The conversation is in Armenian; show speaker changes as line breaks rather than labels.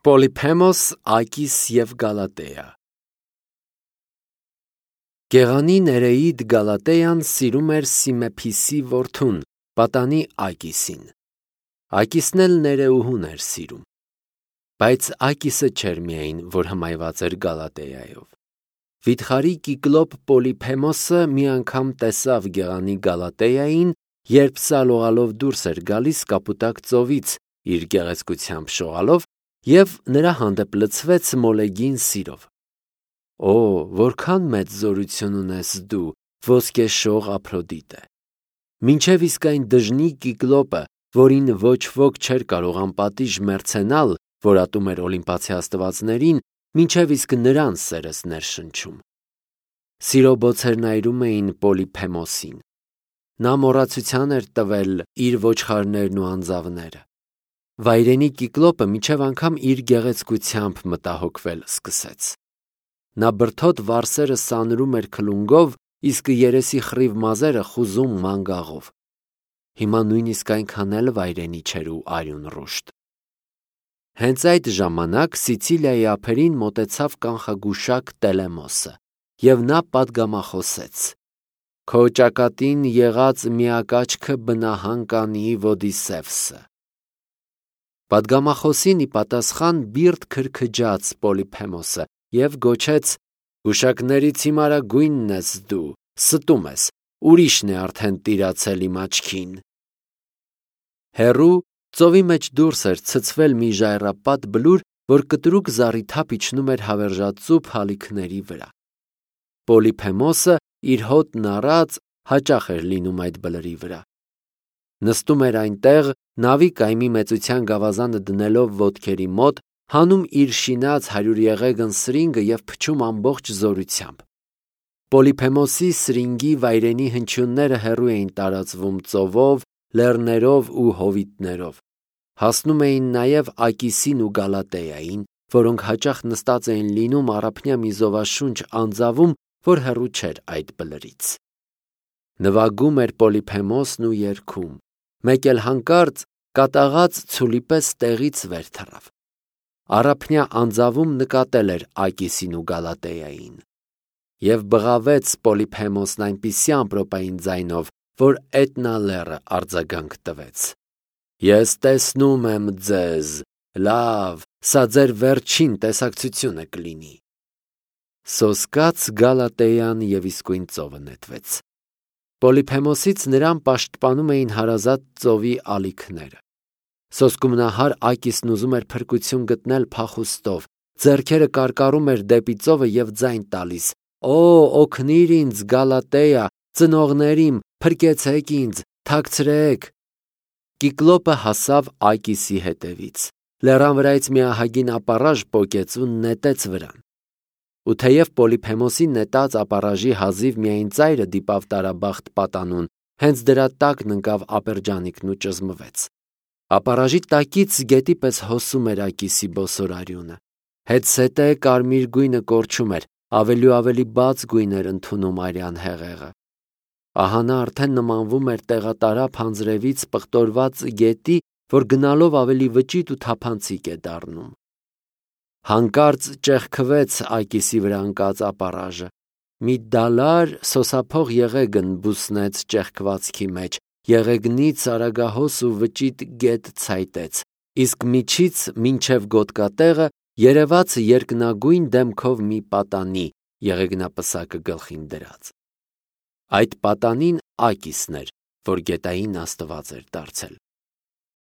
Պոլիփեմոս, Ակիս և Գալատեա։ Գեղանի Ներեիդ Գալատեան սիրում էր Սիմեփիսի որդուն, պատանի Ակիսին։ Ակիսն էլ Ներեուհուն էր սիրում։ Բայց Ակիսը չէր միայն, որ հմայված էր Գալատեայով։ Վիթխարի Կիկլոպ Պոլիփեմոսը մի անգամ տեսավ գեղանի Գալատեային, երբ սալողալով դուրս էր գալիս Կապուտակ ծովից իր գեղեցկությամբ շողալով, և նրա հանդեպ լցվեց մոլեգին սիրով։ Օ, որքան մեծ զորություն ունես դու, ոսկեշող Ափրոդիտե։ Մինչև իսկ այն դժնի Կիկլոպը, որին ոչ ոք չէր կարող անպատիժ մեռցենալ, որ ատում էր Օլիմպացի աստվածներին, մինչև իսկ նրան սերս ներշնչում։ Սիրո բոցերն այրում էին Պոլիփեմոսին։ Նա մոռացության էր տվել իր ոչխարներն ու անձավները։ Վայրենի Կիկլոպը մինչև անգամ իր գեղեցկությամբ մտահոգվել սկսեց։ Նա բրդոտ վարսերը սանրում էր քլունգով, իսկ երեսի խռիվ մազերը խուզում մանգաղով։ Հիմա նույնիսկ այնքան էլ վայրենի չէր ու արյուն ռուշտ։ Հենց այդ ժամանակ Սիցիլիայի ափերին մոտեցավ կանխագուշակ Տելեմոսը, և նա պատգամախոսեց. «Քո ճակատին եղած միակաչքը բնահան կանի Ոդիսևսը»։ Պատգամախոսին ի պատասխան բիրտ քրքջաց Պոլիփեմոսը և գոչեց. «Գուշակներից հիմարագույնն ես դու, ստում ես, ուրիշն է արդեն տիրացել իմ աչքին»։ Հեռու ծովի մեջ դուրս էր ցցվել մի ժայռապատ բլուր, որ կտրուկ զառիթափ իջնում էր հավերժածուփ հալիքների վրա։ Պոլիփեմոսը իր հոտն առած հաճախ էր լինում այդ բլրի վրա։ Նստում էր այնտեղ, նավի կայմի մեծության գավազանը դնելով ոտքերի մոտ, հանում իր շինած հարյուրեղեգն սրինգը և փչում ամբողջ զորությամբ։ Պոլիփեմոսի սրինգի վայրենի հնչյունները հեռու էին տարածվում ծովով, լեռներով ու հովիտներով։ Հասնում էին նաև Ակիսին ու Գալատեային, որոնք հաճախ նստած էին լինում առափնյա մի զովաշունչ անձավում, որ հեռու չէր այդ բլրից։ Նվագում էր Պոլիփեմոսն ու երգում, մեկ էլ հանկարծ կատաղած ցուլի պես տեղից վեր թռավ։ Առափնյա անձավում նկատել էր Ակիսին ու Գալատեային։ Եվ բղավեց Պոլիփեմոսն այնպիսի ամպրոպային ձայնով, որ Էտնա լեռը արձագանք տվեց. «Ես տեսնում եմ ձեզ, լավ, սա ձեր վերջին տեսակցությունը կլինի»։ Սոսկաց Գալատեան և իսկույն ծովը նետվեց։ Պոլիփեմոսից նրան պաշտպանում էին հարազատ ծովի ալիքները։ Սոսկումնահար Ակիսն ուզում էր փրկություն գտնել փախուստով, ձեռքերը կարկառում էր դեպի ծովը և ձայն տալիս. «Օ, օգնիր ինձ, Գալատեա, ծնողներ իմ, փրկեցեք ինձ, թաքցրեք»։ Կիկլոպը հասավ Ակիսի հետևից, լեռան վրայից մի ահագին ապառաժ պոկեց ու նետեց վրան։ Ու թեև Պոլիփեմոսի նետած ապառաժի հազիվ միայն ծայրը դիպավ տարաբախտ պատանուն, հենց դրա տակն ընկավ ապերջանիկն ու ճզմվեց։ Ապառաժի տակից գետի պես հոսում էր Ակիսի բոսորարյունը։ Հետզհետե կարմիր գույնը կորչում էր, ավելի ու ավելի բաց գույն էր ընդունում արյան հեղեղը։ Ահա նա արդեն նմանվում էր տեղատարափ անձրևից պղտորված գետի, որ գնալով ավելի վճիտ ու թափանցիկ է դառնում։ Հանկարծ ճեղքվեց Ակիսի վրա ընկած ապառաժը։ Մի դալար սոսափող եղեգն բուսնեց ճեղքվածքի մեջ, եղեգնից արագահոս ու վճիտ գետ ցայտեց, իսկ միջից մինչև գոտկատեղը երևաց երկնագույն դեմքով մի պատանի, եղեգնապսակը գլխին դրած։ Այդ պատանին Ակիսն էր, որ գետային աստված էր դարձել։